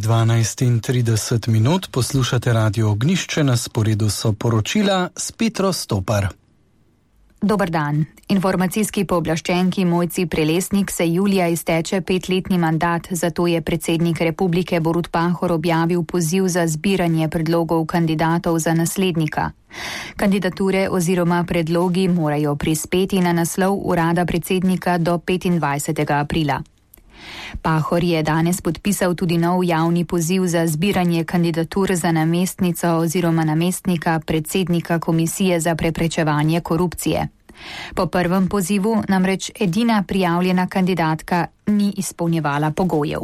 12:30 poslušate Radio Ognjišče, na sporedu so poročila s Petro Stopar. Dober dan. Informacijski pooblaščenki Mojci Prelesnik se julija izteče 5-letni mandat, zato je predsednik republike Borut Pahor objavil poziv za zbiranje predlogov kandidatov za naslednika. Kandidature oziroma predlogi morajo prispeti na naslov urada predsednika do 25. aprila. Pahor je danes podpisal tudi nov javni poziv za zbiranje kandidatur za namestnico oziroma namestnika predsednika Komisije za preprečevanje korupcije. Po prvem pozivu namreč edina prijavljena kandidatka ni izpolnjevala pogojev.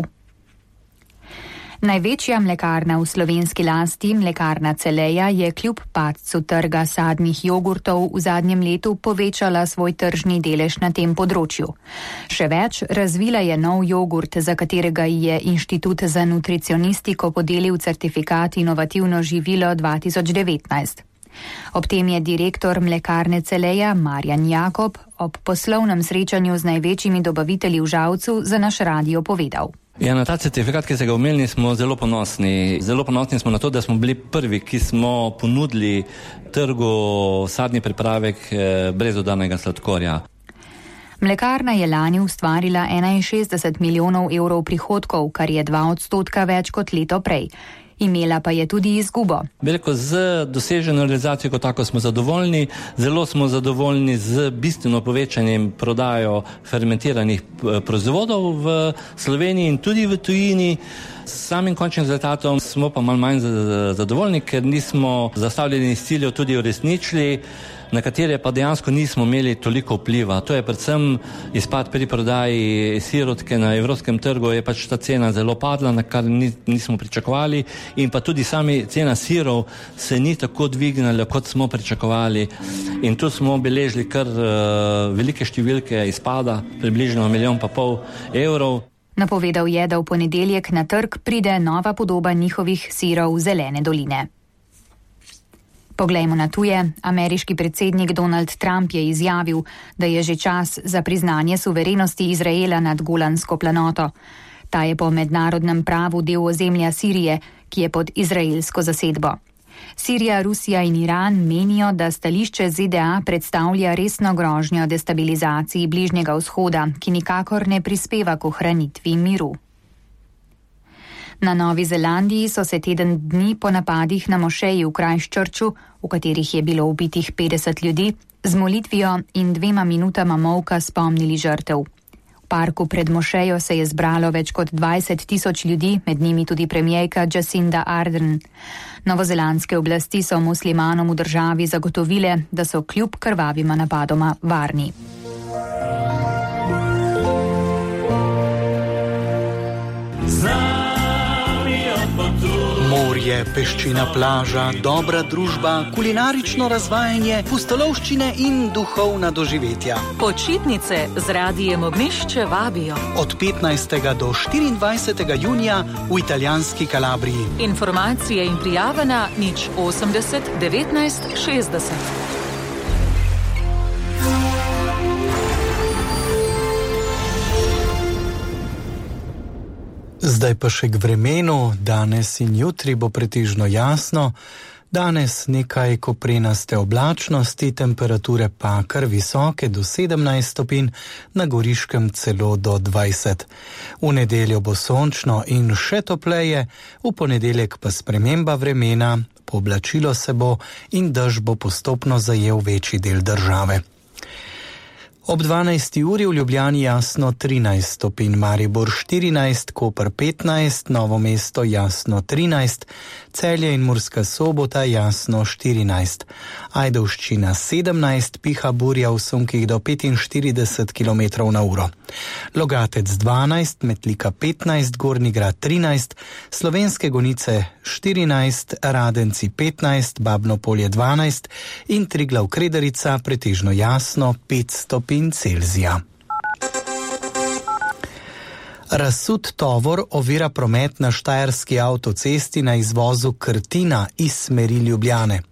Največja mlekarna v slovenski lasti, Mlekarna Celeja, je kljub padcu trga sadnih jogurtov v zadnjem letu povečala svoj tržni delež na tem področju. Še več, razvila je nov jogurt, za katerega je Inštitut za nutricionistiko podelil certifikat Inovativno živilo 2019. Ob tem je direktor Mlekarne Celeja Marjan Jakob ob poslovnem srečanju z največjimi dobavitelji v Žalcu za naš radio povedal. Ja, na ta certifikat, ki ste ga omenili, smo zelo ponosni. Zelo ponosni smo na to, da smo bili prvi, ki smo ponudili trgu sadni pripravek brez dodanega sladkorja. Mlekarna je lani ustvarila 61 milijonov evrov prihodkov, kar je 2% več kot leto prej. Imela pa je tudi izgubo. Veliko z doseženo realizacijo kot tako smo zadovoljni, zelo smo zadovoljni z bistveno povečanjem prodajo fermentiranih proizvodov v Sloveniji in tudi v tujini. S samim končnim rezultatom smo pa malo manj zadovoljni, ker nismo zastavljeni ciljev tudi uresničili, na katere pa dejansko nismo imeli toliko vpliva. To je predvsem izpad pri prodaji sirotke na evropskem trgu, je pač ta cena zelo padla, na kar nismo pričakovali, in pa tudi sami cena sirov se ni tako dvignila, kot smo pričakovali. In tu smo beležili kar velike številke izpada, približno 1,5 milijona evrov. Napovedal je, da v ponedeljek na trg pride nova podoba njihovih sirov Zelene doline. Poglejmo na tuje. Ameriški predsednik Donald Trump je izjavil, da je že čas za priznanje suverenosti Izraela nad Golansko planoto. Ta je po mednarodnem pravu del ozemlja Sirije, ki je pod izraelsko zasedbo. Sirija, Rusija in Iran menijo, da stališče ZDA predstavlja resno grožnjo destabilizaciji Bližnjega vzhoda, ki nikakor ne prispeva k ohranitvi miru. Na Novi Zelandiji so se teden dni po napadih na mošeji v Christchurchu, v katerih je bilo ubitih 50 ljudi, z molitvijo in 2 minutama molka spomnili žrtev. V parku pred mošejo se je zbralo več kot 20 tisoč ljudi, med njimi tudi premierka Jacinda Ardern. Novozelandske oblasti so muslimanom v državi zagotovile, da so kljub krvavima napadoma varni. Morje, peščina plaža, dobra družba, kulinarično razvajanje, pustolovščine in duhovna doživetja. Počitnice z Radijem Ognjišče vabijo. Od 15. do 24. junija v italijanski Kalabriji. Informacije in prijave na 080 19 60. Zdaj pa še k vremenu. Danes in jutri bo pretežno jasno. Danes nekaj koprenaste oblačnosti, temperature pa kar visoke do 17 stopinj, na Goriškem celo do 20. V nedeljo bo sončno in še topleje, v ponedeljek pa sprememba vremena, pooblačilo se bo in dež bo postopno zajel večji del države. Ob 12. uri v Ljubljani jasno 13 stopinj, Maribor 14, Koper 15, Novo mesto jasno 13, Celje in Murska Sobota jasno 14, Ajdovščina 17, piha burja v sunkih do 45 km/h. Logatec 12, Metlika 15, Gornji Grad 13, Slovenske Gonice 14, Radenci 15, Babno Polje 12 in Triglav Kredarica pretežno jasno 5 stopinj Celzija. Razsut tovor ovira promet na štajerski avtocesti na izvozu Krtina iz smeri Ljubljane.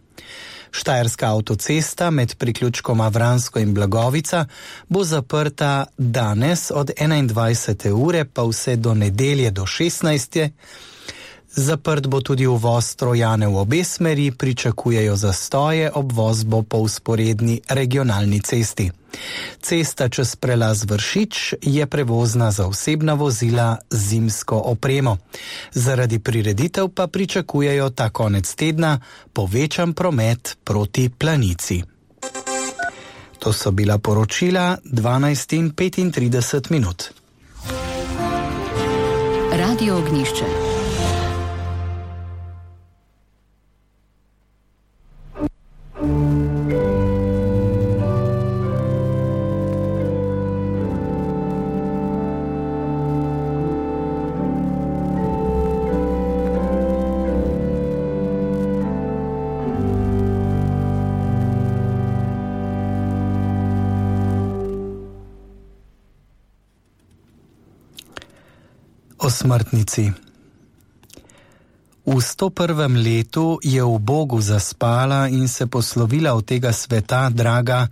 Štajerska avtocesta med priključkoma Vransko in Blagovica bo zaprta danes od 21. ure pa vse do nedelje do 16. Zaprt bo tudi uvoz Trojane v obe smeri, pričakujejo zastoje, obvoz bo po vzporedni regionalni cesti. Cesta čez prelaz Vršič je prevozna za osebna vozila z zimsko opremo. Zaradi prireditev pa pričakujejo ta konec tedna povečan promet proti Planici. To so bila poročila 12:35. Radio Ognjišče. O smrtnici. V 101. letu je v Bogu zaspala in se poslovila od tega sveta draga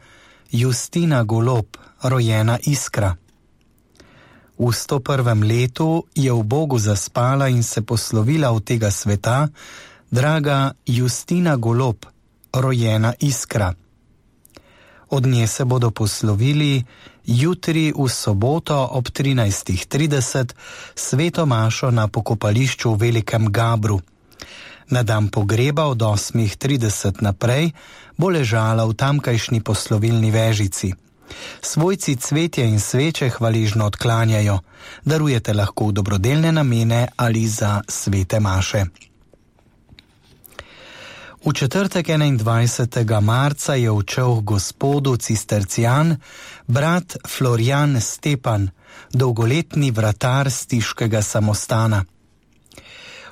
Justina Golob, rojena Iskra. V 101. letu je v Bogu zaspala in se poslovila od tega sveta draga Justina Golob, rojena Iskra. Od nje se bodo poslovili jutri v soboto ob 13:30 sveto mašo na pokopališču v Velikem Gabru. Na dan pogreba od 8:30 naprej bo ležala v tamkajšnji poslovilni vežici. Svojci cvetje in sveče hvaležno odklanjajo, darujete lahko v dobrodelne namene ali za svete maše. V četrtek 21. marca je odšel gospodu cistercijan brat Florian Stepan, dolgoletni vratar stiškega samostana.